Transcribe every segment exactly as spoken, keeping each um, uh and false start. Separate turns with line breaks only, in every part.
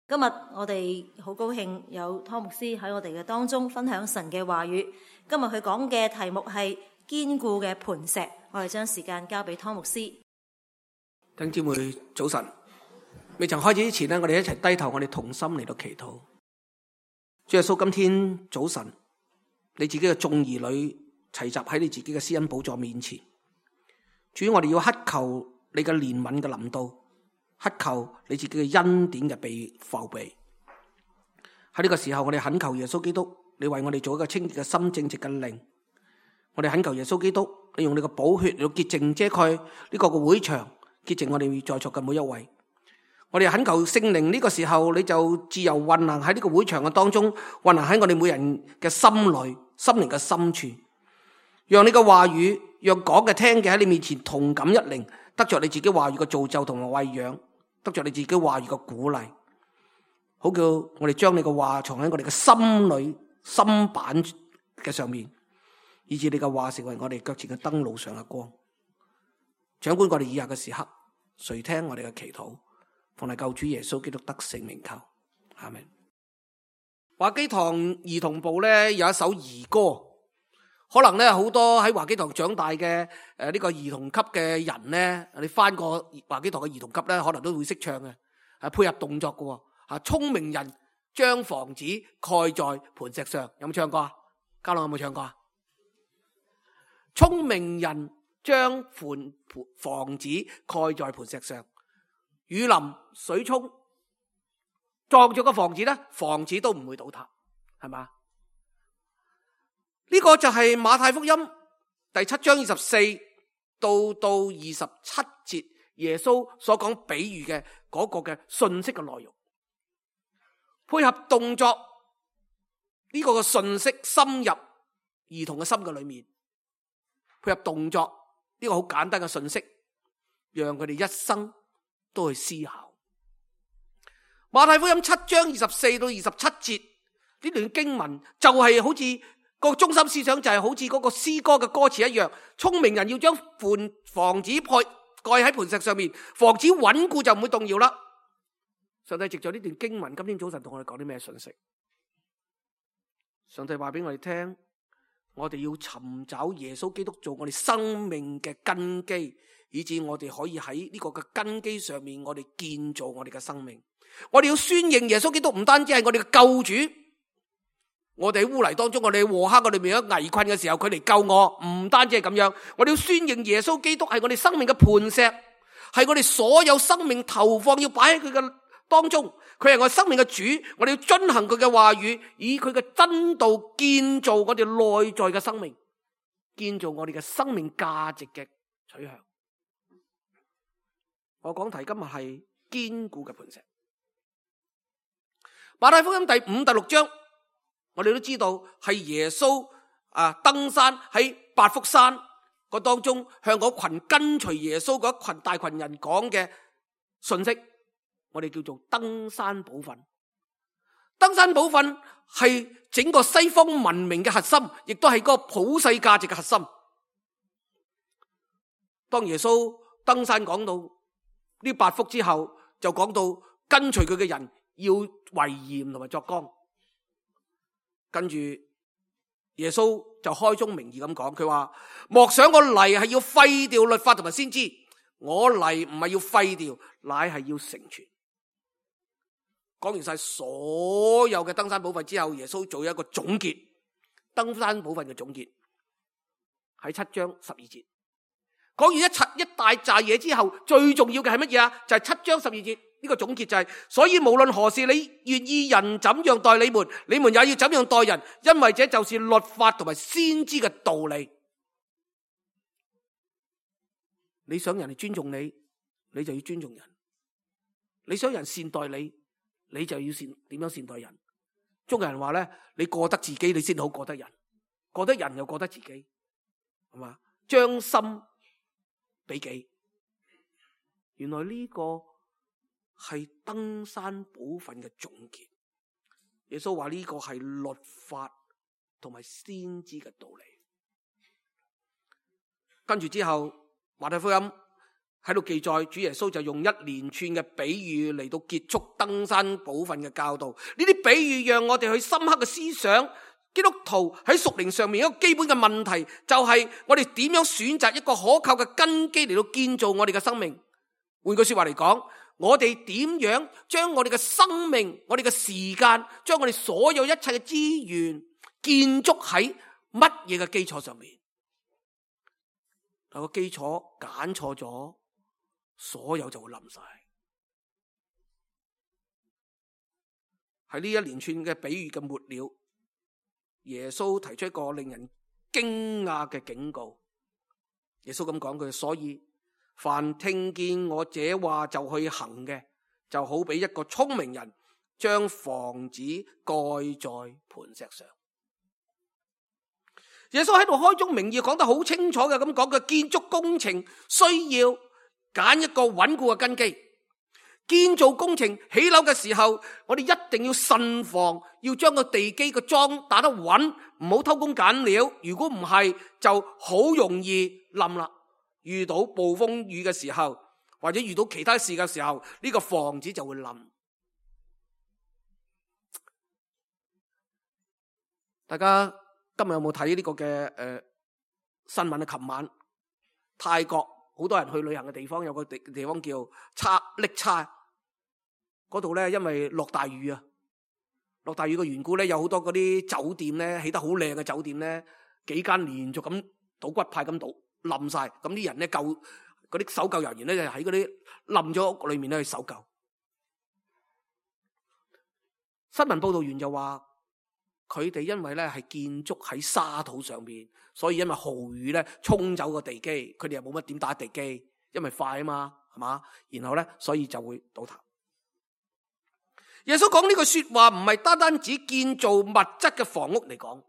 今日我哋好高興有湯牧師喺我哋嘅當中分享神嘅話語。今日佢講嘅題目係堅固嘅磐石。我哋將時間交俾湯牧師。
弟兄姊妹早晨，未曾開始之前呢，我哋一齊低頭，我哋同心嚟到祈禱。主耶穌，今天早晨，你自己嘅眾兒女齊集喺你自己嘅施恩寶座面前。主，我哋要乞求你嘅憐憫嘅臨到，乞求你自己嘅恩典嘅被覆庇。喺呢個時候，我哋懇求耶穌基督，你為我哋做一個清潔嘅心、正直嘅靈。我哋懇求耶穌基督，你用你嘅寶血嚟到潔淨遮蓋呢個嘅會場，潔淨我哋在座嘅每一位。我哋懇求聖靈，呢個時候你就自由運行喺呢個會場嘅當中，運行喺我哋每人嘅心裏、心靈嘅深處，讓你嘅話語，讓講嘅聽嘅喺你面前同感一靈，得着你自己話語嘅造就同埋餵養，得着你自己話語嘅鼓勵，好叫我哋將你嘅話藏喺我哋嘅心裏、心板嘅上面，以致你嘅話成為我哋腳前嘅燈路上嘅光。掌管我哋以下嘅時刻，垂聽我哋嘅祈禱，奉嚟救主耶穌基督得勝名求，阿們。華基堂兒童部咧有一首兒歌，可能咧好多喺華基堂長大嘅誒呢個兒童級嘅人咧，你翻過華基堂嘅兒童級咧，可能都會識唱嘅，係配合動作嘅。吓，聰明人將房子蓋在磐石上，有冇唱過啊？嘉樂有冇唱過啊？聰明人將房子蓋在磐石上，雨淋水沖撞咗個房子咧，房子都唔會倒塌，係嘛？呢個就係馬太福音第七章二十四到到二十七節耶穌所講比喻嘅嗰個嘅信息嘅內容，配合動作呢個嘅信息深入兒童嘅心嘅裏面，配合動作呢個好簡單嘅信息，讓佢哋一生都去思考。馬太福音七章二十四到二十七節呢段經文就係好似個中心思想，就係好似嗰個詩歌嘅歌詞一樣，聰明人要將房子蓋喺磐石上面，房子穩固就唔會動搖啦。上帝藉著呢段經文，今天早晨同我哋講啲咩信息？上帝話俾我哋聽，我哋要尋找耶穌基督做我哋生命嘅根基，以致我哋可以喺呢個嘅根基上面，我哋建造我哋嘅生命。我哋要宣認耶穌基督唔單止係我哋嘅救主，我哋喺污泥當中，我哋喺禍坑裏面喺危困嘅時候，佢嚟救我，唔單止係咁樣。我哋要宣認耶穌基督係我哋生命嘅磐石，係我哋所有生命投放要擺喺佢嘅當中。佢係我哋生命嘅主，我哋要遵行佢嘅話語，以佢嘅真道建造我哋內在嘅生命，建造我哋嘅生命價值嘅取向。我講題今日係堅固嘅磐石。馬太福音第五、第六章，我哋都知道係耶穌啊登山喺八福山個當中，向嗰群跟隨耶穌嗰一群大群人講嘅信息，我哋叫做登山寶訓。登山寶訓係整個西方文明嘅核心，亦都係嗰個普世價值嘅核心。當耶穌登山講到呢八福之後，就講到跟隨佢嘅人要為鹽同埋作光。跟住耶穌就開宗明義咁講，佢話莫想我嚟係要廢掉律法同埋先知，我嚟唔係要廢掉，乃係要成全。講完晒所有嘅登山寶訓之後，耶穌做一個總結，登山寶訓嘅總結喺七章十二節。講完一齊一大扎嘢之後，最重要嘅係乜嘢啊？就係、是、七章十二節呢個總結就係、是，所以無論何事你願意人怎樣待你們，你們也要怎樣待人，因為這就是律法同埋先知嘅道理。你想人哋尊重你，你就要尊重人；你想人善待你，你就要善點樣善待人。中國人話咧，你過得自己，你先好過得人；過得人又過得自己，係嘛？將心比己。原來呢個係登山寶訓嘅總結。耶穌話呢個係律法同埋先知嘅道理。跟住之後，馬太福音喺度記載，主耶穌就用一連串嘅比喻嚟到結束登山寶訓嘅教導。呢啲比喻讓我哋去深刻嘅思想，基督徒喺屬靈上面一個基本嘅問題，就係我哋點樣選擇一個可靠嘅根基嚟到建造我哋嘅生命。換句說話嚟講，我哋點樣將我哋嘅生命、我哋嘅時間、將我哋所有一切嘅資源建築喺乜嘢嘅基礎上面？有個基礎揀錯咗，所有就會冧晒。喺呢一連串嘅比喻嘅末了，耶穌提出一個令人驚訝嘅警告。耶穌咁講句，所以凡聽見我這話就去行嘅，就好比一個聰明人將房子蓋在磐石上。耶穌喺度開宗明義講得好清楚嘅，咁講嘅建築工程需要揀一個穩固嘅根基。建造工程起樓嘅時候，我哋一定要慎防，要將個地基個樁打得穩，唔好偷工減料。如果唔係，就好容易冧啦。遇到暴風雨嘅時候，或者遇到其他事嘅時候，呢個房子就會冧。大家今日有冇睇呢個嘅誒、呃、新聞啊？琴晚泰國好多人去旅行嘅地方，有個地地方叫差瀝差，嗰度咧因為落大雨啊，落大雨嘅緣故咧，有好多嗰啲酒店咧起得好靚嘅酒店咧，幾間連續咁倒骨牌咁倒冧晒，咁啲人咧救嗰啲搜救人員咧就喺嗰啲冧咗屋裏面咧去搜救。新聞報道員就話，佢哋因為咧係建築喺沙土上面，所以因為豪雨咧沖走個地基，佢哋又冇乜點打地基，因為快啊嘛，係嘛？然後咧，所以就會倒塌。耶穌講呢句說話唔係單單指建造物質嘅房屋嚟講，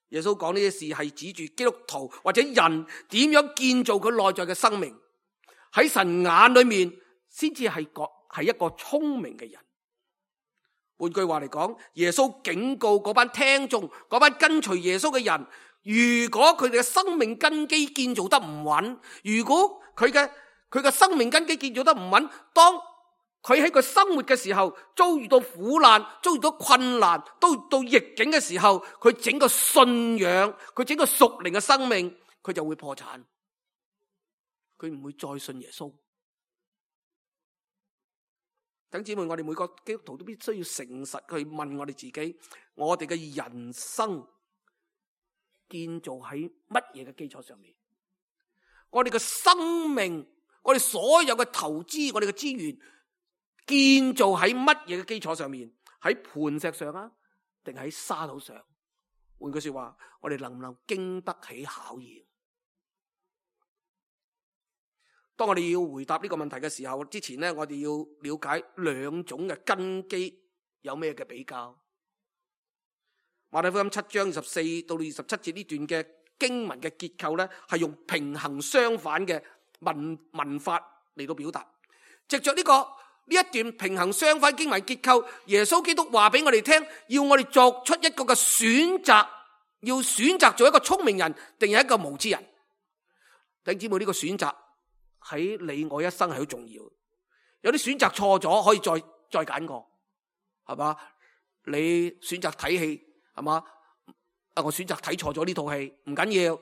耶穌講呢啲事係指住基督徒或者人點樣建造佢內在嘅生命，喺神眼裏面先至係個係一個聰明嘅人。換句話嚟講，耶穌警告嗰班聽眾、嗰班跟隨耶穌嘅人，如果佢哋嘅生命根基建造得唔穩，如果佢嘅佢嘅生命根基建造得唔穩，當佢喺佢生活嘅時候遭遇到苦難、遭遇到困難、遭遇到逆境嘅時候，佢整個信仰、佢整個屬靈嘅生命，佢就會破產，佢唔會再信耶穌。等姊妹，我哋每個基督徒都必須要誠實去問我哋自己，我哋嘅人生建造喺乜嘢嘅基礎上面？我哋嘅生命，我哋所有嘅投資，我哋嘅資源建造喺乜嘢嘅基礎上面？喺磐石上啊，定喺沙土上？換句說話，我哋能唔能經得起考驗？當我哋要回答呢個問題嘅時候，之前呢，我哋要了解兩種嘅根基有咩嘅比較。馬太福音七章二十四到二十七節呢段嘅經文嘅結構呢，係用平衡相反嘅文文法嚟到表達。藉着呢個呢一段平衡相反經文結構，耶穌基督話俾我哋聽，要我哋作出一個嘅選擇，要選擇做一個聰明人，定係一個無知人。弟兄姊妹，呢個選擇喺你我一生係好重要，有啲選擇錯咗可以再再揀過，係嘛？你選擇睇戲，係嘛？啊，我選擇睇錯咗呢套戲，唔緊要，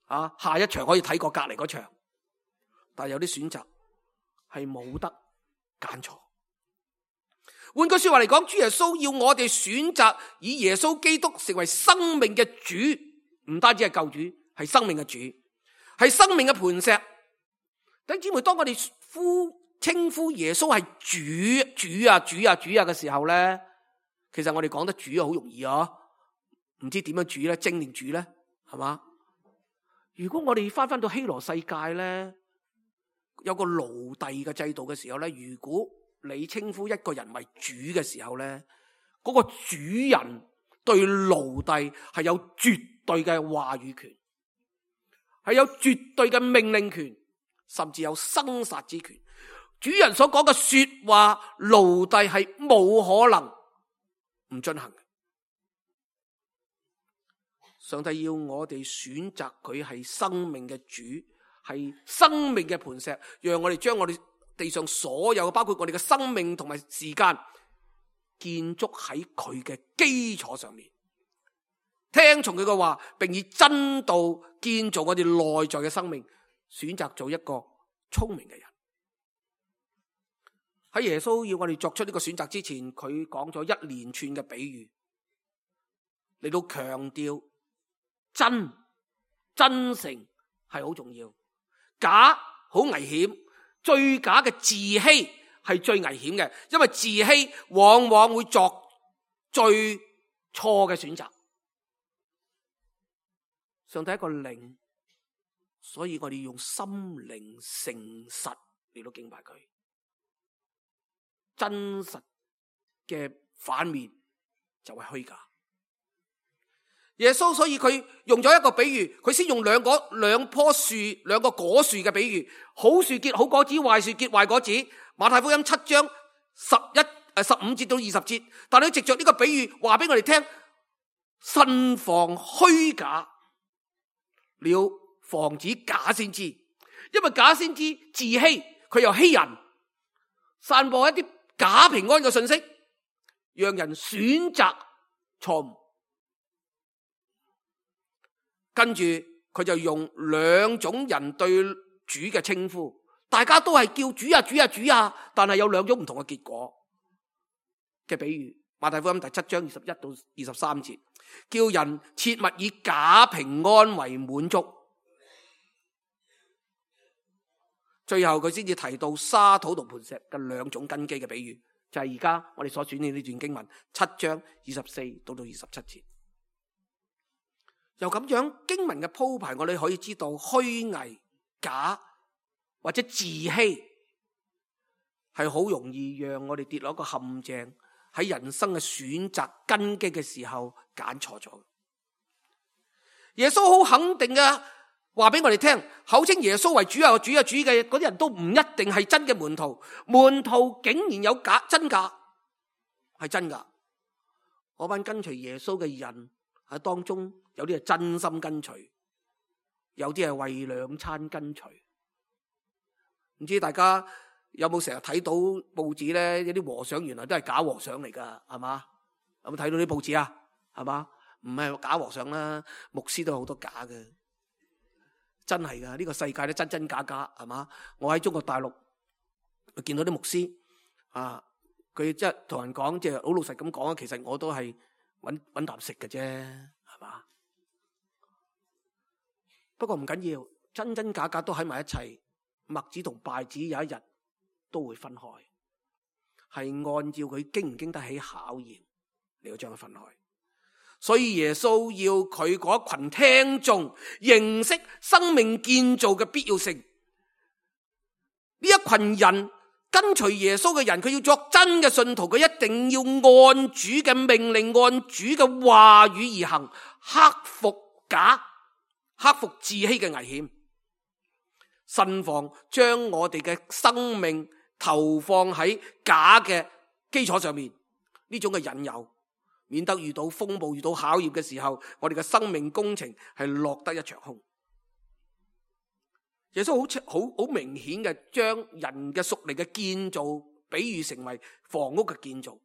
啊，下一場可以睇過隔籬嗰場。但係有啲選擇係冇得揀錯。換句說話嚟講，主耶穌要我哋選擇以耶穌基督成為生命嘅主，唔單止係救主，係生命嘅主，係生命嘅磐石。弟兄姊妹，當我哋呼稱呼耶穌係主、主啊、主啊、主啊嘅時候咧，其實我哋講得主啊好容易啊，唔知點樣主咧，精定主咧，係嘛？如果我哋翻翻到希羅世界咧，有個奴隸嘅制度嘅時候咧，如果你稱呼一個人為主嘅時候咧，嗰個主人對奴隸係有絕對嘅話語權，係有絕對嘅命令權，甚至有生殺之權。主人所講嘅說話，奴隸係冇可能唔進行嘅。上帝要我哋選擇佢係生命嘅主，係生命嘅磐石，讓我哋將我哋地上所有，包括我哋嘅生命同埋時間，建築喺佢嘅基礎上面，聽從佢嘅話，並以真道建造我哋內在嘅生命，選擇做一個聰明嘅人。喺耶穌要我哋作出呢個選擇之前，佢講咗一連串嘅比喻，嚟到強調真真誠係好重要，假好危險，最假嘅自欺係最危險嘅，因為自欺往往會作最錯嘅選擇。上帝一個靈，所以我哋用心靈誠實嚟到敬拜佢。真實嘅反面就係虛假。耶穌所以佢用咗一個比喻，佢先用兩個兩棵樹兩個果樹嘅比喻，好樹結好果子，壞樹結壞果子。馬太福音七章十一誒十五節到二十節，但係藉着呢個比喻話俾我哋聽，慎防虛假，了防止假先知，因為假先知自欺，佢又欺人，散播一啲假平安嘅信息，讓人選擇錯誤。跟住佢就用兩種人對主嘅稱呼，大家都係叫主啊主啊主啊，但係有兩種唔同嘅結果嘅比喻。馬太福音第七章二十一到二十三節，叫人切勿以假平安為滿足。最後佢先至提到沙土同磐石嘅兩種根基嘅比喻，就係而家我哋所選嘅呢段經文七章二十四到到二十七節。由咁樣經文嘅鋪排，我哋可以知道虛偽、假或者自欺係好容易讓我哋跌落一個陷阱，喺人生嘅選擇根基嘅時候揀錯咗。耶穌好肯定嘅話俾我哋聽，口稱耶穌為主啊主啊主嘅嗰啲人都唔一定係真嘅門徒，門徒竟然有假真假，係真噶。嗰班跟隨耶穌嘅人喺當中，有啲係真心跟隨，有啲係為兩餐跟隨。唔知大家有冇成日睇到報紙咧？有啲和尚原來都係假和尚嚟噶，係嘛？有冇睇到啲報紙啊？係嘛？唔係假和尚啦，牧師都有好多假嘅，真係噶。呢個世界都真真假假，係嘛？我喺中國大陸見到啲牧師啊，佢即係同人講，即係好老實咁講，其實我都係搵搵啖食嘅啫，係嘛？不過唔緊要，真真假假都喺埋一齊，麥子同稗子有一日都會分開，係按照佢經唔經得起考驗嚟到將佢分開。所以耶穌要佢嗰一群聽眾認識生命建造嘅必要性。呢一群人跟隨耶穌嘅人，佢要作真嘅信徒，佢一定要按主嘅命令，按主嘅話語而行，克服假，克服自欺嘅危險，慎防將我哋嘅生命投放喺假嘅基礎上面，呢種嘅引誘，免得遇到風暴、遇到考驗嘅時候，我哋嘅生命工程係落得一場空。耶穌好好好明顯嘅將人嘅屬靈嘅建造比喻成為房屋嘅建造。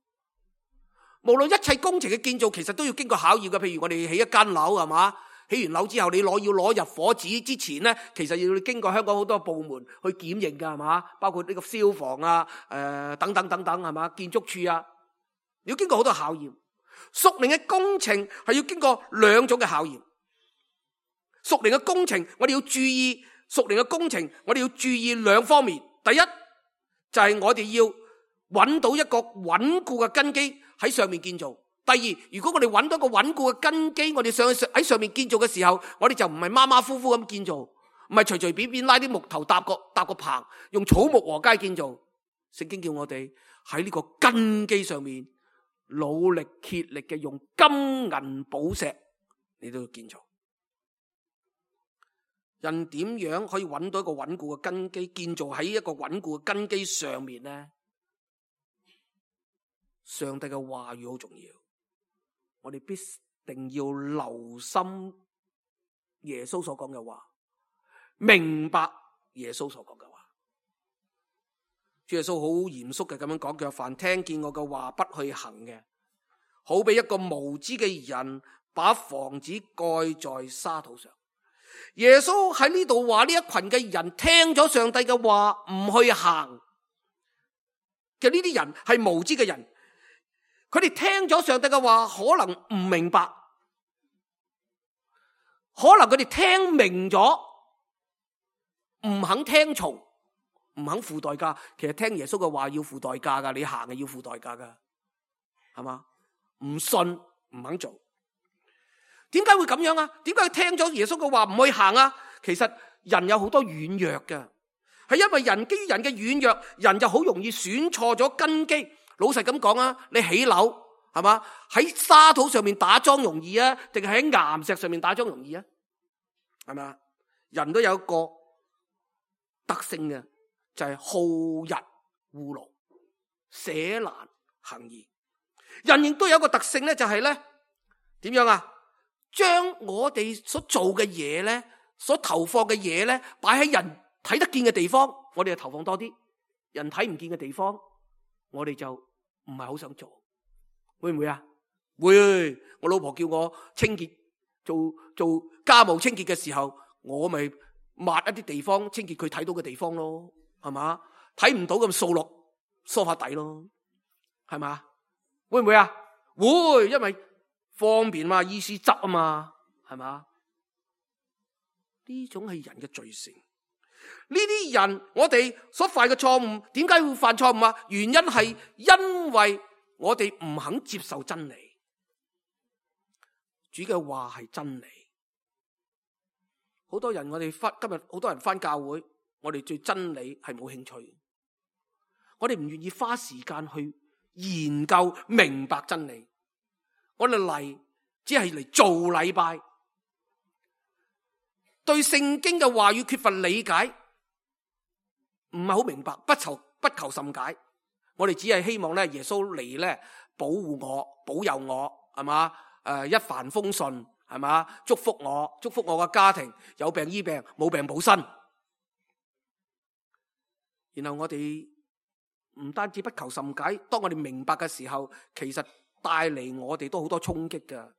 無論一切工程嘅建造，其實都要經過考驗嘅。譬如我哋起一間樓，係嘛？起完樓之後，你攞要攞入伙紙之前咧，其實要經過香港好多部門去檢驗噶，係嘛？包括呢個消防啊、誒、呃、等等等等，係嘛？建築署啊，要經過好多考驗。屬靈嘅工程係要經過兩種嘅考驗。屬靈嘅工程，我哋要注意屬靈嘅工程，我哋要注意兩方面。第一就係、是、我哋要揾到一個穩固嘅根基喺上面建造。第二，如果我哋揾到一個穩固嘅根基，我哋上喺上面建造嘅時候，我哋就唔係馬馬虎虎咁建造，唔係隨隨便便拉啲木頭搭個搭個棚，用草木禾稭建造。聖經叫我哋喺呢個根基上面努力竭力嘅用金銀寶石嚟到建造。人點樣可以揾到一個穩固嘅根基，建造喺一個穩固嘅根基上面呢？上帝嘅話語好重要，我哋必定要留心耶穌所講嘅話，明白耶穌所講嘅話。主耶穌好嚴肅嘅咁樣講，佢話凡聽見我嘅話不去行嘅，好比一個無知嘅人把房子蓋在沙土上。耶穌喺呢度話呢一群嘅人聽咗上帝嘅話唔去行嘅，呢啲人係無知嘅人，佢哋聽咗上帝嘅話可能唔明白，可能佢哋聽明咗唔肯聽從，唔肯付代價。其實聽耶穌嘅話要付代價噶，你行係要付代價噶，係嘛？唔信唔肯做。點解會咁樣啊？點解聽咗耶穌嘅話唔去行啊？其實人有好多軟弱嘅，係因為人基於人嘅軟弱，人就好容易選錯咗根基。老實咁講啊，你起樓係嘛？喺沙土上面打樁容易啊，定係喺岩石上面打樁容易啊？係咪？人都有一個特性嘅，就係好逸惡勞，捨難行易。人亦都有一個特性咧，就係咧點樣啊？將我哋所做嘅嘢咧，所投放嘅嘢咧，擺喺人睇得見嘅地方，我哋就投放多啲；人睇唔見嘅地方，我哋就唔係好想做。會唔會啊？會。我老婆叫我清潔，做做家務清潔嘅時候，我咪抹一啲地方清潔佢睇到嘅地方咯，係嘛？睇唔到咁掃落梳化底咯，係嘛？會唔會啊？會，因為方便嘛，意思執啊嘛，係嘛？呢種係人嘅罪性。呢啲人我哋所犯嘅錯誤，點解會犯錯誤啊？原因係因為我哋唔肯接受真理。主嘅話係真理。好多人我哋翻今日好多人翻教會，我哋對真理係冇興趣。我哋唔願意花時間去研究明白真理。我哋嚟只係嚟做禮拜，對聖經嘅話語缺乏理解，唔係好明白，不求不求甚解。我哋只係希望咧，耶穌嚟咧保護我、保佑我，係嘛？誒，一帆風順，係嘛？祝福我，祝福我嘅家庭，有病醫病，冇病補身。然後我哋唔單止不求甚解，當我哋明白嘅時候，其實帶嚟我哋都好多衝擊㗎。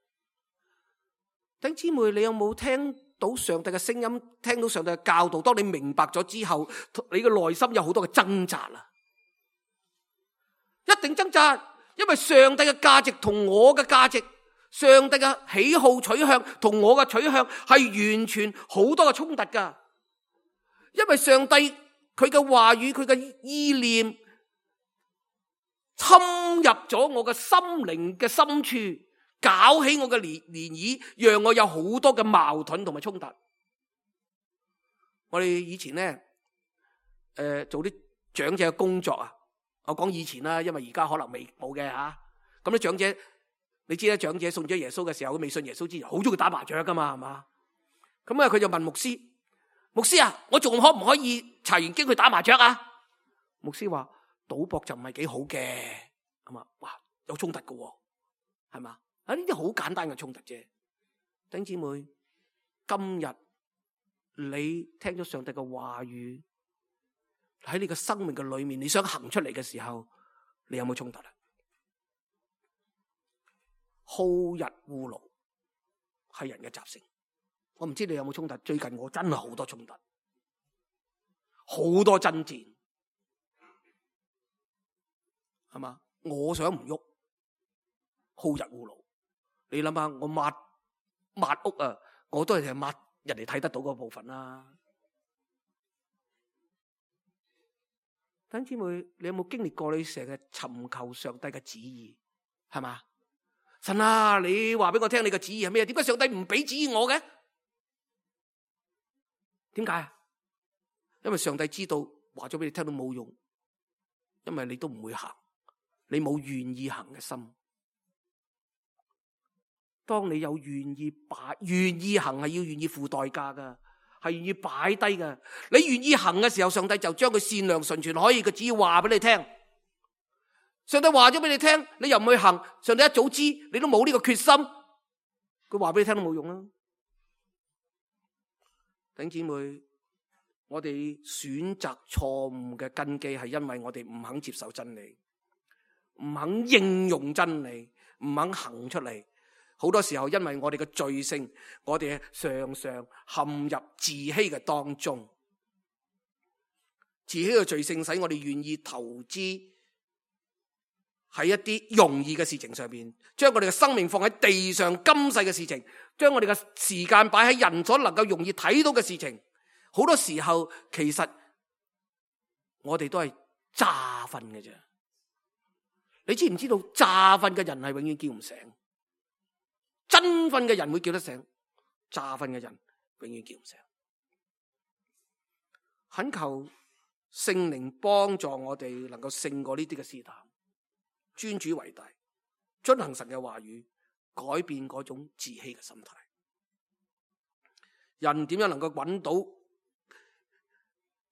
弟兄姊妹，你有冇聽到上帝嘅聲音？聽到上帝嘅教導？當你明白咗之後，你嘅內心有好多嘅掙扎啦，一定掙扎，因為上帝嘅價值同我嘅價值，上帝嘅喜好取向同我嘅取向係完全好多嘅衝突㗎。因為上帝佢嘅話語，佢嘅意念侵入咗我嘅心靈嘅深處，搞起我嘅漣漣漪，讓我有好多嘅矛盾同埋衝突。我哋以前咧，誒、呃、做啲長者嘅工作啊，我講以前啦，因為而家可能未冇嘅吓。咁啲長者，你知啦，長者信咗耶穌嘅時候，佢未信耶穌之前，好中意打麻雀噶嘛，係嘛？咁啊，佢就問牧師：牧師啊，我仲可唔可以查完經去打麻雀啊？牧師話：賭博就唔係幾好嘅，咁啊，哇，有衝突噶，係嘛？啊，呢啲好簡單嘅衝突啫。弟兄姊妹，今日你聽咗上帝嘅話語喺你嘅生命嘅裏面，你想行出嚟嘅時候，你有冇衝突啊？好逸惡勞係人嘅習性。我唔知你有冇衝突。最近我真係好多衝突，好多爭戰，係嘛？我想唔喐，好逸惡勞。你諗下，我抹抹屋啊，我都係抹人哋睇得到嗰部分啦。弟兄姊妹，你有冇經歷過你成日尋求上帝嘅旨意？係嘛？神啊，你話俾我聽你嘅旨意係咩？點解上帝唔俾旨意我嘅？點解？因為上帝知道話咗俾你聽都冇用，因為你都唔會行，你冇願意行嘅心。當你有願意擺願意行，係要願意付代價噶，係願意擺低噶。你願意行嘅時候，上帝就將佢善良純全可以嘅旨意話俾你聽。上帝話咗俾你聽，你又唔去行，上帝一早知你都冇呢個決心，佢話俾你聽都冇用啦。弟兄姊妹，我哋選擇錯誤嘅根基係因為我哋唔肯接受真理，唔肯應用真理，唔肯行出嚟。好多時候因為我哋嘅罪性，我哋常常陷入自欺嘅當中。自欺嘅罪性使我哋願意投資喺一啲容易嘅事情上面，將我哋嘅生命放喺地上今世嘅事情，將我哋嘅時間擺喺人所能夠容易睇到嘅事情。好多時候其實我哋都係詐瞓嘅啫。你知唔知道詐瞓嘅人係永遠叫唔醒，真瞓嘅人會叫得醒，詐瞓嘅人永遠叫唔醒。懇求聖靈幫助我哋能夠勝過呢啲嘅試探，尊主為大，遵行神嘅話語，改變嗰種自欺嘅心態。人點樣能夠揾到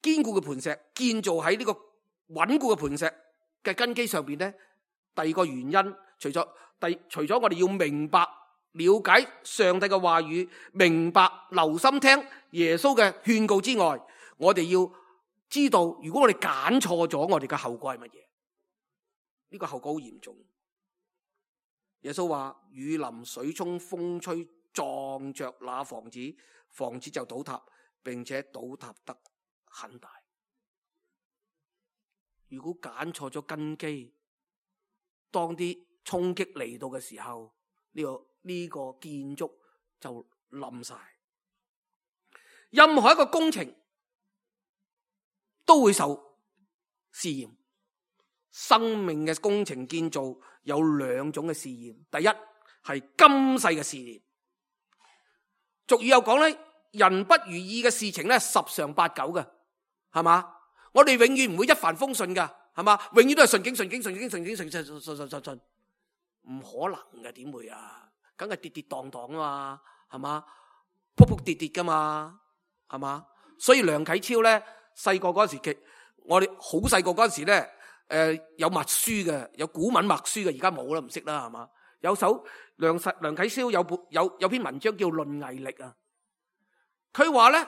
堅固嘅磐石，建造喺呢個穩固嘅磐石嘅根基上邊呢？第二個原因，除咗第除咗我哋要明白了解上帝嘅話語，明白留心聽耶穌嘅勸告之外，我哋要知道，如果我哋揀錯咗，我哋嘅後果係乜嘢？呢個後果好嚴重。耶穌話：雨淋、水沖、風吹，撞着那房子，房子就倒塌，並且倒塌得很大。如果揀錯咗根基，當啲衝擊嚟到嘅時候，呢個呢個建築就冧晒。任何一個工程都會受試驗。生命嘅工程建造有兩種嘅試驗，第一係今世嘅試驗。俗語有講咧，人不如意嘅事情咧十常八九嘅，係嘛？我哋永遠唔會一帆風順噶，係嘛？永遠都係順境順境順境順境順順順順順順，唔可能嘅，點會啊？梗係跌跌蕩蕩啊嘛，係嘛？扑扑跌跌噶嘛，係嘛？所以梁啟超咧細個嗰時，其我哋好細個嗰時咧，誒、呃、有默書嘅，有古文默書嘅，而家冇啦，唔識啦，係嘛？有首梁實梁啟超有本有有篇文章叫《論毅力》啊，佢話咧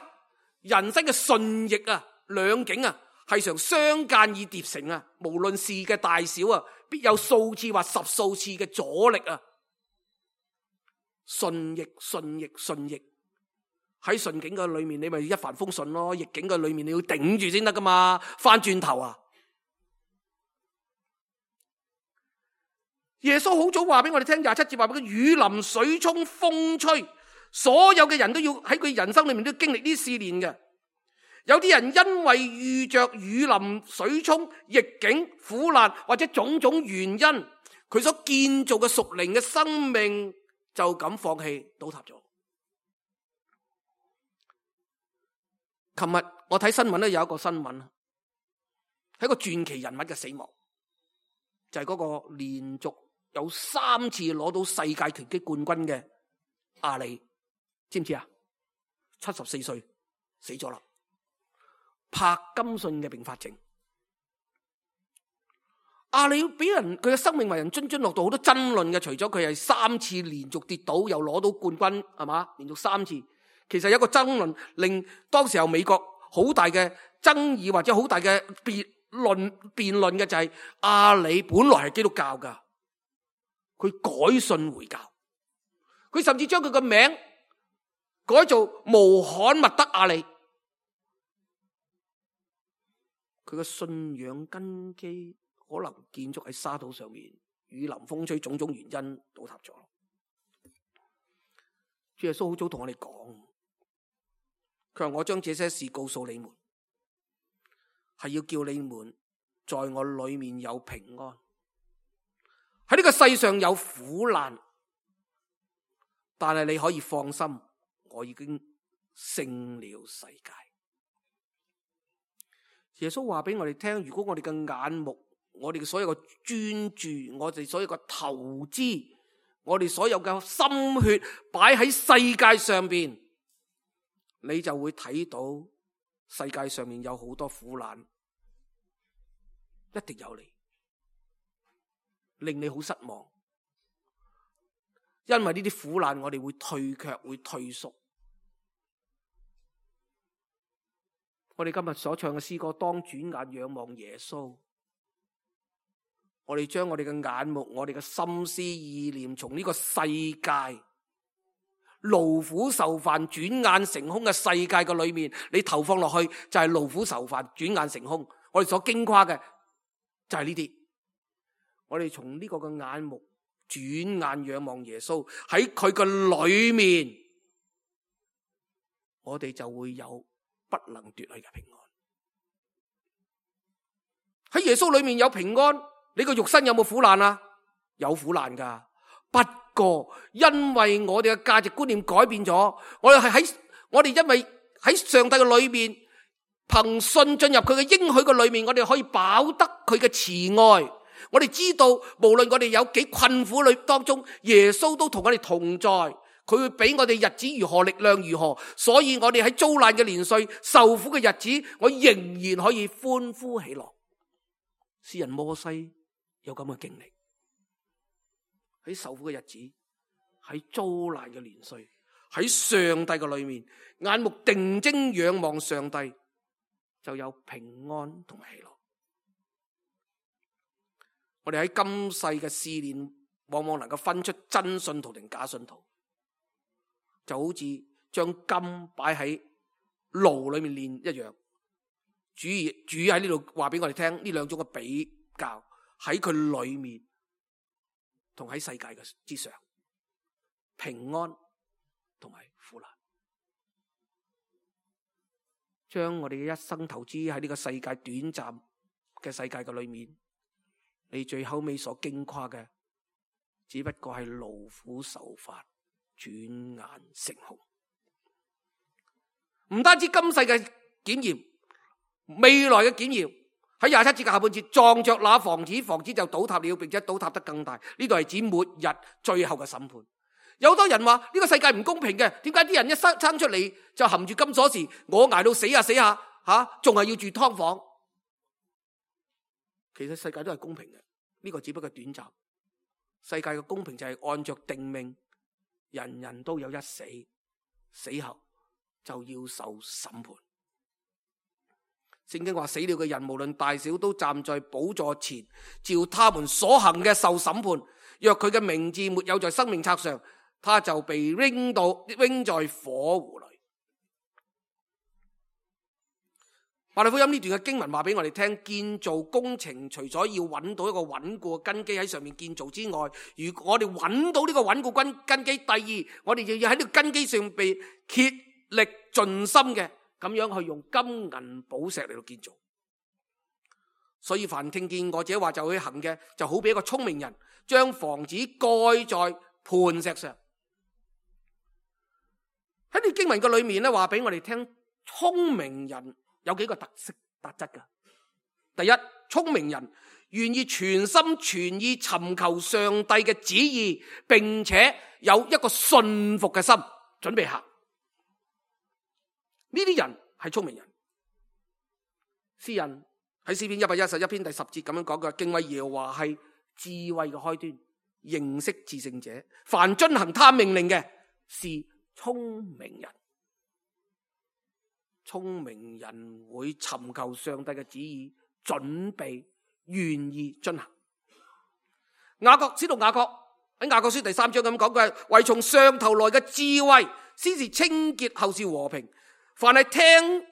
人生嘅順逆啊兩境啊係常相間而疊成啊，無論事嘅大小啊，必有數次或十數次嘅阻力啊。順逆順逆順逆，喺順境嘅裏面你咪一帆風順咯，逆境嘅裏面你要頂住先得噶嘛，翻轉頭啊！耶穌好早話俾我哋聽，廿七節話俾佢，雨淋、水沖、風吹，所有嘅人都要喺佢人生裏面都要經歷呢啲試煉嘅。有啲人因為遇着雨淋、水沖、逆境、苦難或者種種原因，佢所建造嘅屬靈嘅生命就咁放棄倒塌咗。琴日我睇新聞咧，有一個新聞係一個傳奇人物嘅死亡，就係、是、嗰個連續有三次攞到世界拳擊冠軍嘅阿里，知唔知啊？七十四歲死咗啦，柏金遜嘅併發症。阿里俾人佢嘅生命為人津津樂道，好多爭論嘅。除咗佢係三次連續跌倒又攞到冠軍，係嘛？連續三次，其實有一個爭論令當時候美國好大嘅爭議或者好大嘅辯論辯論嘅就係阿里本來係基督教噶，佢改信回教，佢甚至將佢個名改做穆罕默德阿里。佢嘅信仰根基可能建築喺沙土上面，雨淋風吹種種原因倒塌咗。主耶穌好早同我哋講，佢話我將這些事告訴你們，係要叫你們在我裏面有平安。喺呢個世上有苦難，但係你可以放心，我已經勝了世界。耶穌話俾我哋聽，如果我哋嘅眼目，我哋嘅所有嘅專注，我哋所有嘅投資，我哋所有嘅心血擺喺世界上邊，你就會睇到世界上面有好多苦難，一定有你，令你好失望。因為呢啲苦難，我哋會退卻，會退縮。我哋今日所唱嘅詩歌，當轉眼仰望耶穌。我哋將我哋嘅眼目、我哋嘅心思意念，從呢個世界勞苦受煩、轉眼成空嘅世界嘅裏面，你投放落去就係勞苦受煩、轉眼成空。我哋所矜誇嘅就係呢啲。我哋從呢個嘅眼目轉眼仰望耶穌，喺佢嘅裏面，我哋就會有不能奪去嘅平安。喺耶穌裏面有平安，你個肉身有冇苦難啊？有苦難噶。不過因為我哋嘅價值觀念改變咗，我哋係喺我哋因為喺上帝嘅裏面，憑信進入佢嘅應許嘅裏面，我哋可以飽得佢嘅慈愛。我哋知道，無論我哋有幾困苦裏當中，耶穌都同我哋同在。佢會俾我哋日子如何，力量如何，所以我哋喺遭難嘅年歲、受苦嘅日子，我仍然可以歡呼喜樂。詩人摩西有咁嘅經歷，喺受苦嘅日子，喺遭難嘅年歲，喺上帝嘅裏面，眼目定睛仰望上帝，就有平安同埋喜樂。我哋喺今世嘅試煉，往往能夠分出真信徒定假信徒。就好似將金擺喺爐裏面煉一樣，主主喺呢度話俾我哋聽，呢兩種嘅比較喺佢裏面同喺世界嘅之上，平安同埋苦難。將我哋嘅一生投資喺呢個世界短暫嘅世界嘅裏面，你最後尾所矜誇嘅，只不過係勞苦受煩，轉眼成空。唔單止今世嘅檢驗，未來嘅檢驗，喺廿七節嘅下半節，撞着那房子，房子就倒塌了，並且倒塌得更大。呢度係指末日最後嘅審判。有好多人話呢個世界唔公平嘅，點解啲人一生生出嚟就含住金鎖匙，我捱到死下死下吓，仲係要住劏房？其實世界都係公平嘅，呢個只不過短暫。世界嘅公平就係按着定命，人人都有一死，死後就要受審判。聖經話死了嘅人無論大小都站在寶座前，照他們所行嘅受審判。若佢嘅名字沒有在生命冊上，他就被扔到扔在火湖裏。馬太福音呢段嘅經文話俾我哋聽，建造工程除咗要揾到一個穩固嘅根基喺上面建造之外，如果我哋揾到呢個穩固根根基，第二我哋就要喺呢個根基上被竭力盡心嘅咁樣去用金銀寶石嚟到建造。所以凡聽見我這話就去行嘅，就好比一個聰明人將房子蓋在磐石上。喺呢經文嘅裏面咧，話俾我哋聽，聰明人有幾個特色特質㗎。第一，聰明人願意全心全意尋求上帝嘅旨意，並且有一個信服嘅心，準備行。呢啲人係聰明人。詩人喺詩篇一百一十一篇第十節咁樣講嘅，敬畏耶和華係智慧嘅開端，認識至聖者，凡遵行他命令嘅是聰明人。聰明人會尋求上帝嘅旨意，準備願意遵行。雅各使徒雅各喺雅各書第三章咁講嘅，唯從上頭來嘅智慧，先是清潔，後是和平。凡係聽，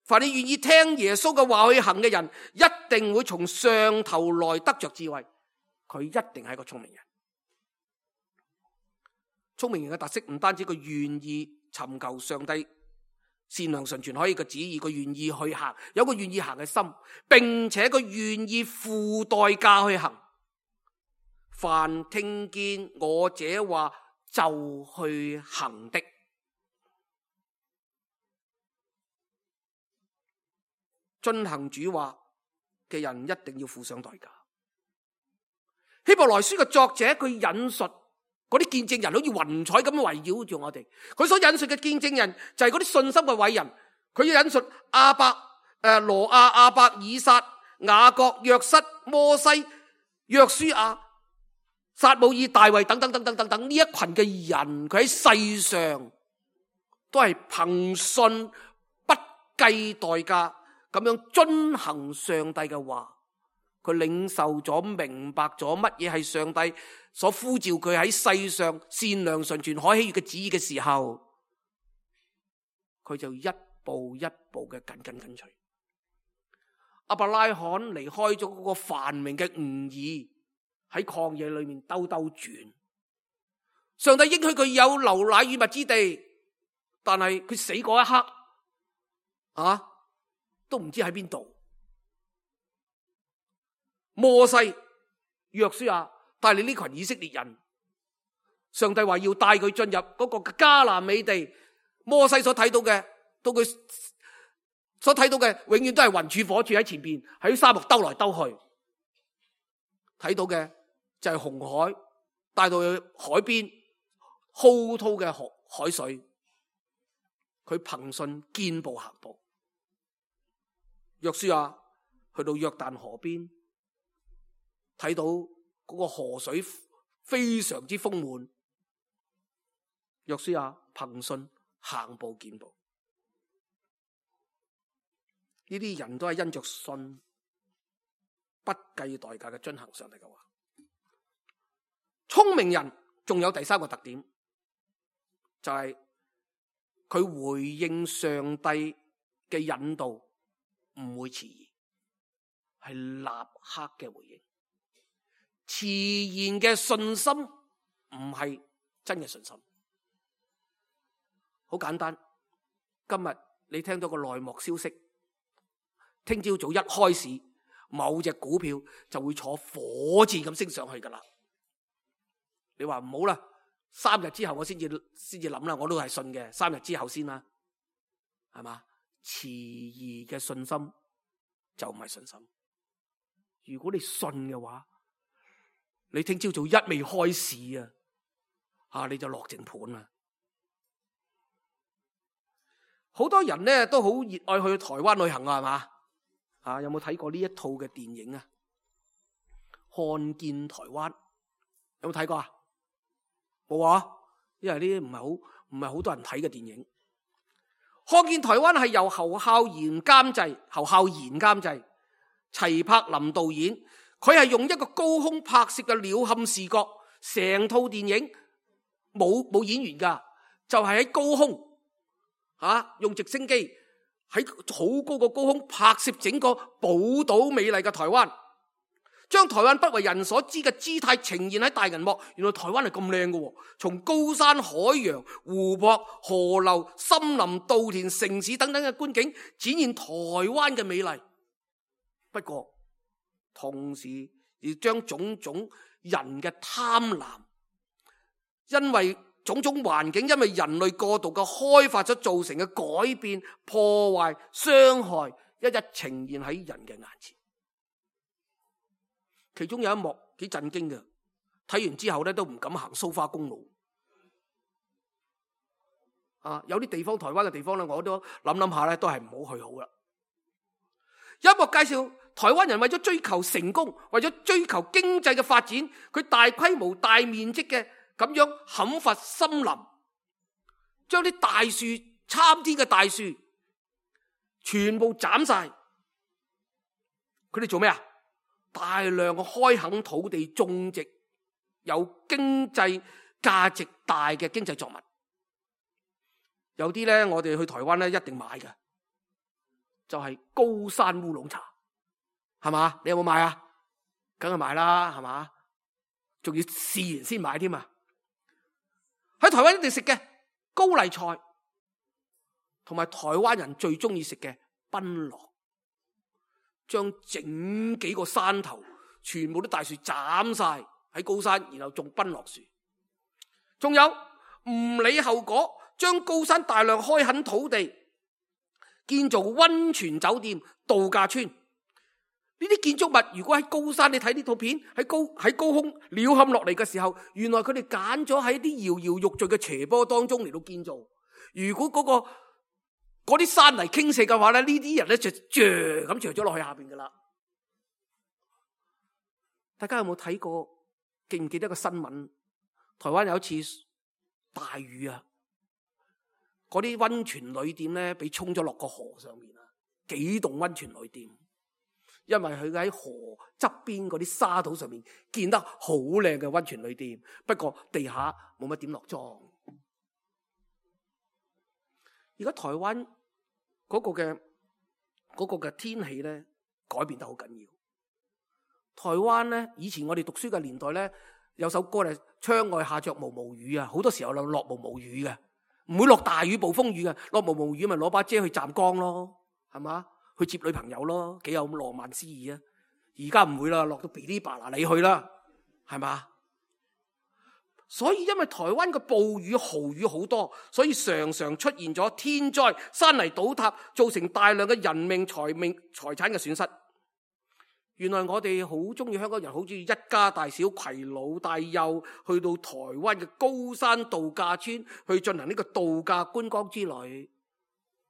凡係願意聽耶穌嘅話去行嘅人，一定會從上頭來得着智慧。佢一定係一個聰明人。聰明人嘅特色唔單止佢願意尋求上帝善良純全可以嘅旨意，佢願意去行，有個願意行嘅心，並且佢願意付代價去行。凡聽見我這話就去行的，遵行主話嘅人一定要付上代價。希伯來書嘅作者佢引述嗰啲見證人，好似雲彩咁圍繞住我哋。佢所引述嘅見證人就係嗰啲信心嘅偉人。佢要引述亞伯、誒羅亞、亞伯、以撒、雅各、約瑟、摩西、約書亞、撒母耳、大衛等等等等等等呢一群嘅人，佢喺世上都係憑信不計代價咁樣遵行上帝嘅話，佢領受咗、明白咗乜嘢係上帝所呼召佢喺世上善良、純全、可喜悅嘅旨意嘅時候，佢就一步一步嘅緊緊跟隨。亞伯拉罕離開咗嗰個繁榮嘅吾爾，喺曠野裏面兜兜轉。上帝應許佢有流奶與蜜之地，但係佢死嗰一刻啊，都唔知喺邊度。摩西、約書亞帶領呢群以色列人，上帝話要帶佢進入嗰個迦南美地。摩西所睇到嘅，到佢所睇到嘅，永遠都係雲柱火柱喺前邊，喺沙漠兜來兜去。睇到嘅就係紅海，帶到去海邊滔滔嘅海海水。佢憑信肩步行步。約書亞去到約旦河邊，睇到嗰個河水非常之豐滿。約書亞憑信行步見步。呢啲人都係因着信，不計代價嘅遵行上帝嘅話。聰明人仲有第三個特點，就係佢回應上帝嘅引導唔會遲疑，係立刻嘅回應。遲延嘅信心唔係真嘅信心。好簡單，今日你聽到個內幕消息，聽朝早一開市，某隻股票就會坐火箭咁升上去噶啦。你話唔好啦，三日之後我先至先至諗啦，我都係信嘅，三日之後先啦，係嘛？遲疑嘅信心就唔係信心。如果你信嘅話，你聽朝早一未開市啊，啊你就落定盤啦。好多人咧都好熱愛去台灣旅行啊，係嘛？啊，有冇睇過呢一套嘅電影啊？看見台灣有冇睇過啊？冇啊，因為呢啲唔係好唔係好多人睇嘅電影。看見台灣係由侯孝賢監製，侯孝賢監製，齊柏林導演。佢係用一個高空拍攝嘅鳥瞰視覺，成套電影冇冇演員噶，就係、是、喺高空。啊！用直升機喺好高個高空拍攝整個寶島美麗嘅台灣，將台灣不為人所知嘅姿態呈現喺大銀幕。原來台灣係咁靚嘅，從高山、海洋、湖泊、河流、森林、稻田、城市等等嘅觀景，展現台灣嘅美麗。不過同時亦將種種人嘅貪婪，因為種種環境因為人類過度嘅開發所造成嘅改變、破壞、傷害，一一呈現喺人嘅眼前。其中有一幕幾震驚嘅，睇完之後咧都唔敢行蘇花公路。啊，有啲地方，台灣嘅地方咧，我都諗諗下咧，都係唔好去好啦。有一幕介紹台灣人為咗追求成功，為咗追求經濟嘅發展，佢大規模、大面積嘅咁樣砍伐森林，將啲大樹、參天嘅大樹全部斬晒。佢哋做咩啊？大量嘅開墾土地，種植有經濟價值大嘅經濟作物。有啲咧，我哋去台灣咧一定買嘅，就係高山烏龍茶，係嘛？你有冇買啊？梗係買啦，係嘛？仲要試完先買添啊！喺台灣一定食嘅高麗菜，同埋台灣人最中意食嘅檳榔，將整幾個山頭全部啲大樹斬晒喺高山，然後種檳榔樹。仲有唔理後果，將高山大量開墾土地，建造溫泉酒店、度假村。呢啲建築物如果喺高山，你睇呢套片喺高喺高空鳥瞰落嚟嘅時候，原來佢哋揀咗喺啲搖搖欲墜嘅斜坡當中嚟到建造。如果嗰、嗰個嗰啲山泥傾瀉嘅話咧，呢啲人咧就墜咁墜咗落去下邊噶啦。大家有冇睇過？記唔記得個新聞？台灣有一次大雨啊，嗰啲溫泉旅店咧，俾沖咗落個河上面啊！幾棟溫泉旅店，因為佢喺河側邊嗰啲沙土上面建得好靚嘅溫泉旅店，不過地下冇乜點落妝。而家台灣嗰個嘅嗰個嘅天氣咧改變得好緊要。台灣咧以前我哋讀書嘅年代咧，有首歌咧，窗外下着毛毛雨啊，好多時候就落毛毛雨嘅，唔會落大雨暴風雨嘅，落毛毛雨咪攞把遮去站崗咯，係嘛？去接女朋友咯，幾有咁浪漫詩意啊！而家唔會啦，落到噼哩啪啦你去啦，係嘛？所以因為台灣嘅暴雨豪雨好多，所以常常出現咗天災、山泥倒塌，造成大量嘅人命、財命、財產嘅損失。原來我哋好中意，香港人好中意一家大小攜老帶幼去到台灣嘅高山度假村去進行呢個度假觀光之旅。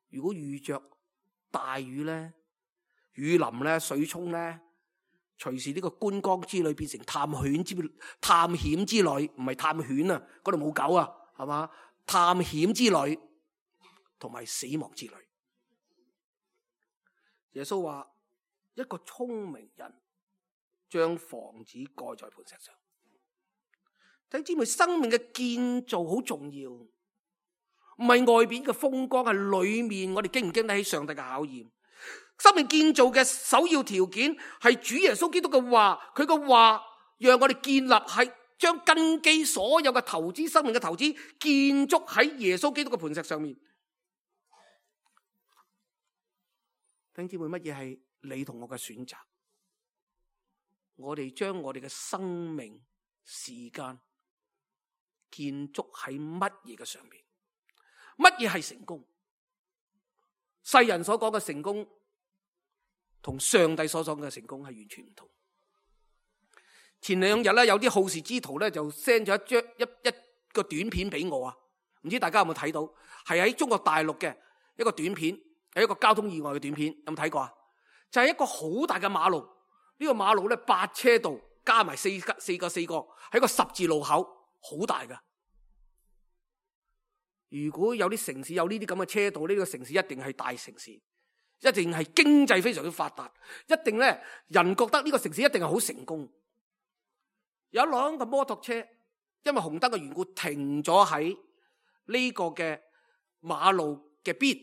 如果遇着大雨咧、雨淋咧、水沖咧，隨時呢個觀光之旅變成探險之探險之旅，唔係探險啊，嗰度冇狗啊，係嘛？探險之旅同埋死亡之旅。耶穌話：一個聰明人將房子蓋在磐石上。弟兄姊妹，生命嘅建造好重要，唔係外邊嘅風光，係裏面我哋經唔經得起上帝嘅考驗。生命建造嘅首要條件係主耶穌基督嘅話，佢嘅話讓我哋建立，係將根基所有嘅投資，生命嘅投資建築喺耶穌基督嘅磐石上面。弟兄姊妹，乜嘢係你同我嘅選擇？我哋將我哋嘅生命時間建築喺乜嘢嘅上面？乜嘢係成功？世人所講嘅成功同上帝所講嘅成功係完全唔同。前兩日咧，有啲好事之徒咧就 send 咗一張一一個短片俾我啊，唔知大家有冇睇到？係喺中國大陸嘅一個短片，係一個交通意外嘅短片，有冇睇過啊？就係一個好大嘅馬路，呢個馬路咧八車道加埋四個四個四個，係一個十字路口，好大噶。如果有啲城市有呢啲咁嘅車道，呢個城市一定係大城市，一定係經濟非常之發達，一定咧人覺得呢個城市一定係好成功。有一輛嘅摩托車，因為紅燈嘅緣故停咗喺呢個嘅馬路嘅邊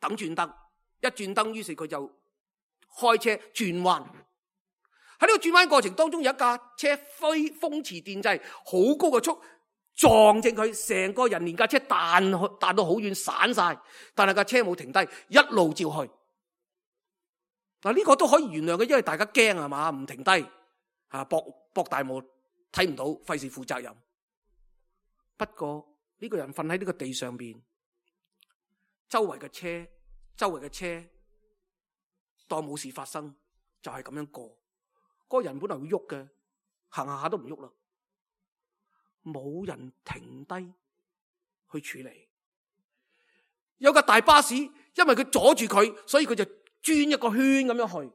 等轉燈，一轉燈於是佢就開車轉彎。喺呢個轉彎過程當中，有一架車飛風馳電掣，好高嘅速撞正佢，成個人連架車彈彈到好遠散晒，但係架車冇停低，一路照去。嗱，呢個都可以原諒嘅，因為大家驚係嘛，唔停低啊，博博大霧睇唔到，費事負責任。不過呢個人瞓喺呢個地上邊，周圍嘅車，周圍嘅車當冇事發生，就係咁樣過。嗰個人本來會喐嘅，行下下都唔喐啦。冇人停低去處理，有架大巴士，因為佢阻住佢，所以佢就轉一個圈咁樣去，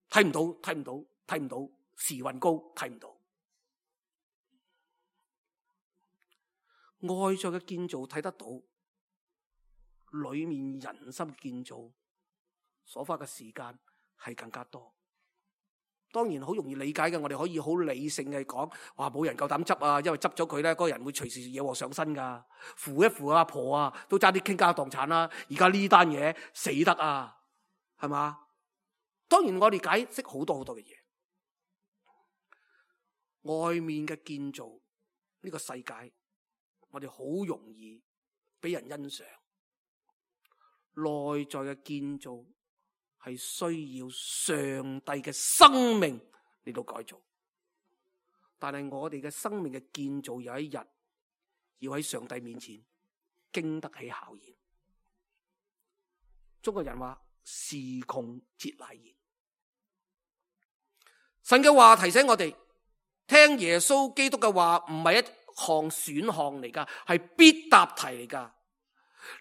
睇唔到，睇唔到，睇唔到，時運高，睇唔到。外在嘅建造睇得到，裏面人心嘅建造所花嘅時間係更加多。當然好容易理解嘅，我哋可以好理性嘅講，話冇人夠膽執啊，因為執咗佢咧，嗰個人會隨時惹禍上身噶。扶一扶阿婆啊，都差啲傾家蕩產啦。而家呢單嘢死得啊，係嘛？當然我哋解釋好多好多嘅嘢，外面嘅建造呢個世界，我哋好容易俾人欣賞。內在嘅建造係需要上帝嘅生命嚟到改造，但係我哋嘅生命嘅建造有一日要喺上帝面前經得起考驗。中國人話時窮節乃現，神嘅話提醒我哋，聽耶穌基督嘅話唔係一項選項嚟噶，係必答題嚟噶。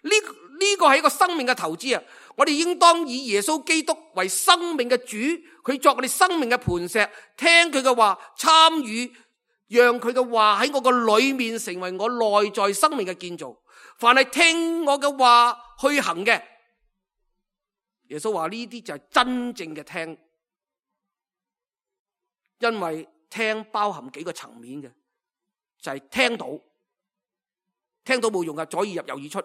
呢呢個係一個生命嘅投資啊！我哋應當以耶穌基督為生命嘅主，佢作我哋生命嘅磐石，聽佢嘅話，參與，讓佢嘅話喺我個裏面成為我內在生命嘅建造。凡係聽我嘅話去行嘅。耶穌話呢啲就係真正嘅聽，因為聽包含幾個層面嘅，就係聽到，聽到冇用㗎，左耳入右耳出，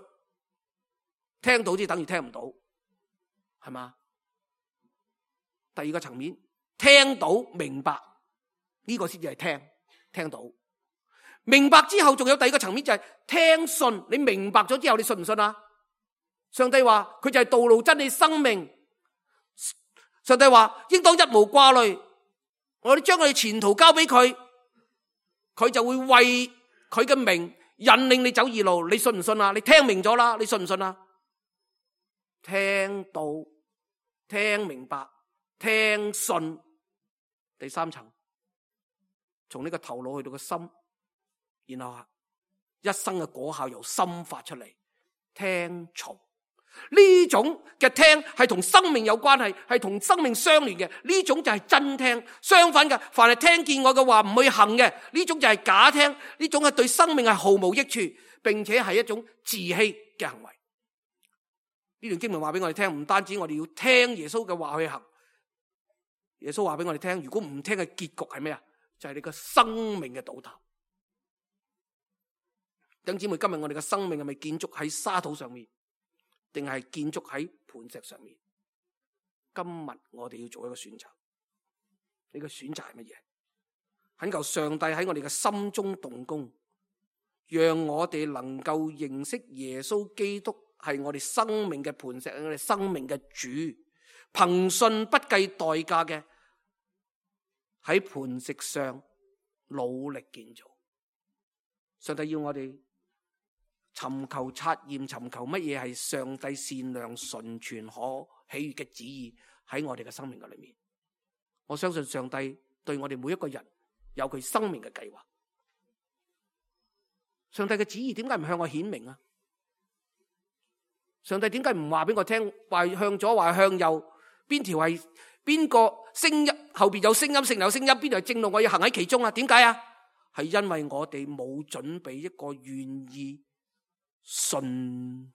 聽到即等於聽唔到，係嘛？第二個層面，聽到明白，呢個先至係聽，聽到明白之後，仲有第二個層面就係聽信。你明白咗之後，你信唔信啊？上帝話佢就係道路真理生命。上帝話應當一無掛慮，我哋將我哋前途交俾佢，佢就會為佢嘅名引領你走義路。你信唔信啊？你聽明咗啦，你信唔信啊？聽到、聽明白、聽信，第三層，從呢個頭腦去到個心，然後一生嘅果效由心發出嚟，聽從。呢種嘅聽係同生命有關係，係同生命相連嘅，呢種就係真聽。相反嘅，凡係聽見我嘅話唔去行嘅，呢種就係假聽，呢種係對生命係毫無益處，並且係一種自欺嘅行為。呢段經文話俾我哋聽，唔單止我哋要聽耶穌嘅話去行，耶穌話俾我哋聽，如果唔聽嘅結局係咩啊？就係你個生命嘅倒塌。弟兄姊妹，今日我哋嘅生命係咪建築喺沙土上面，定係建築喺磐石上面？今日我哋要做一個選擇，呢個選擇係乜嘢？懇求上帝喺我哋嘅心中動工，讓我哋能夠認識耶穌基督係我哋生命嘅磐石，係我哋生命嘅主，憑信不計代價嘅喺磐石上努力建造。上帝要我哋尋求察驗，尋求乜嘢係上帝善良、純全、可喜悅嘅旨意喺我哋嘅生命嘅裏面。我相信上帝對我哋每一個人有佢生命嘅計劃。上帝嘅旨意點解唔向我顯明啊？上帝點解唔話俾我聽，話向左話向右，邊條係邊個聲音，後邊有聲音，聖靈有聲音，邊條係正路，我要行喺其中啊？點解啊？係因為我哋冇準備一個願意順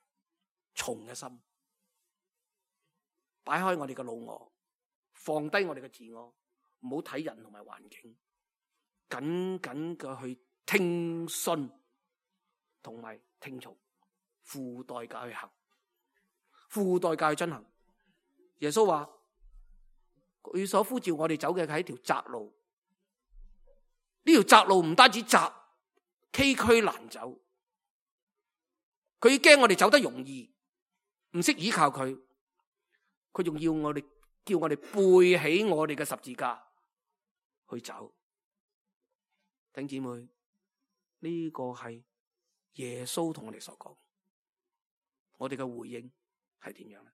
從嘅心，擺開我哋嘅老我，放低我哋嘅自我，唔好睇人同埋環境，緊緊嘅去聽信同埋聽從，付代價去行，付代價去進行。耶穌話佢所呼召我哋走嘅係一條窄路，呢條窄路唔單止窄，崎嶇難走。佢驚我哋走得容易，唔識依靠佢，佢仲要我哋叫我哋背起我哋嘅十字架去走。弟兄姊妹，呢個係耶穌同我哋所講，我哋嘅回應係點樣呢？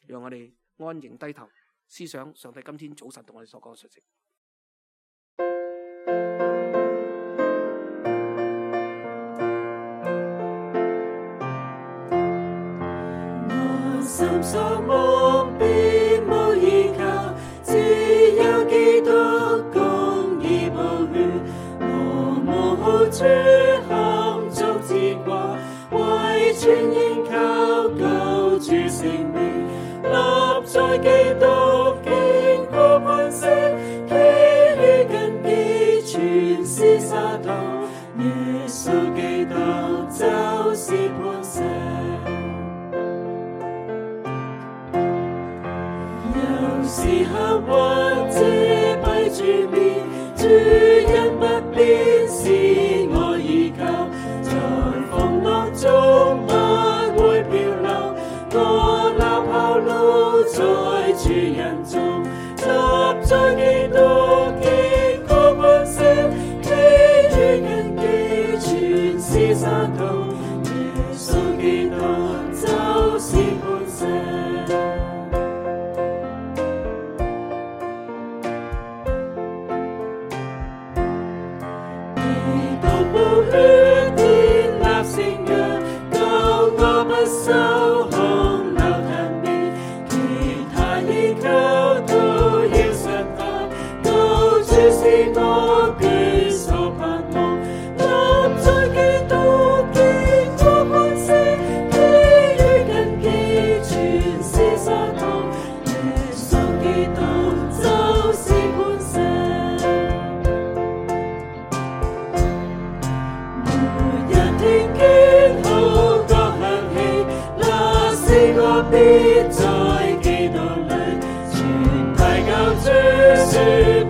讓我哋安靜低頭思想上帝今天早晨同我哋所講嘅信息。
心所望，別無依靠，只有基督公義寶血，我無處含足之掛，為全然靠救主性命，立在基督堅固磐石，其餘根基全是沙土，耶穌基督就是磐石。時刻或者閉住面，主恩不變是我依靠，在風浪中不會漂流，我立後路在主人中，立在基督堅固磐石，其餘根基全是沙土，耶穌基督就是磐石。必在基督裏，全體救主說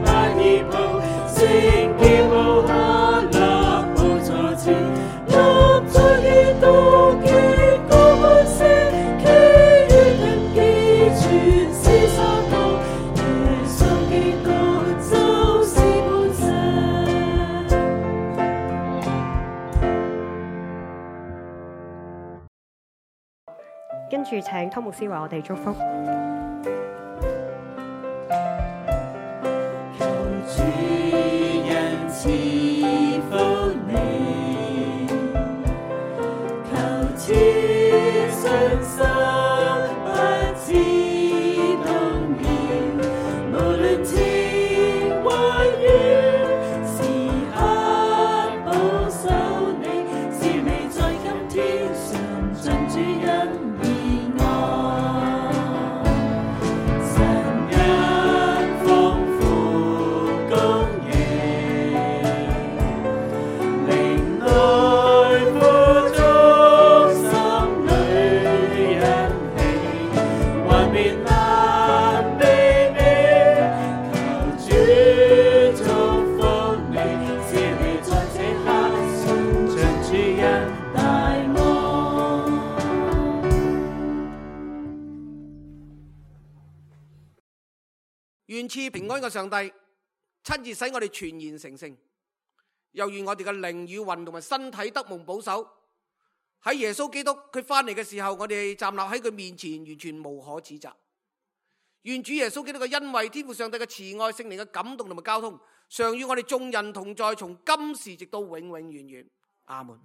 不依抱，聖潔無瑕立寶座前，立在義道結果本色，其餘根基全是沙土，耶穌基督就是磐石。
跟住請湯牧師為我哋祝福。
求主恩賜福你，求賜信心不知動搖，無論天或雨，時刻保守你，是你在今天常盡主恩。
願賜平安嘅上帝親自使我哋全然成聖，又願我哋嘅靈與魂同埋身體得蒙保守。喺耶穌基督佢翻嚟嘅時候，我哋站立喺佢面前，完全無可指責。願主耶穌基督嘅恩惠、天父上帝嘅慈愛、聖靈嘅感動同埋交通，常與我哋眾人同在，從今時直到永永遠遠。阿門。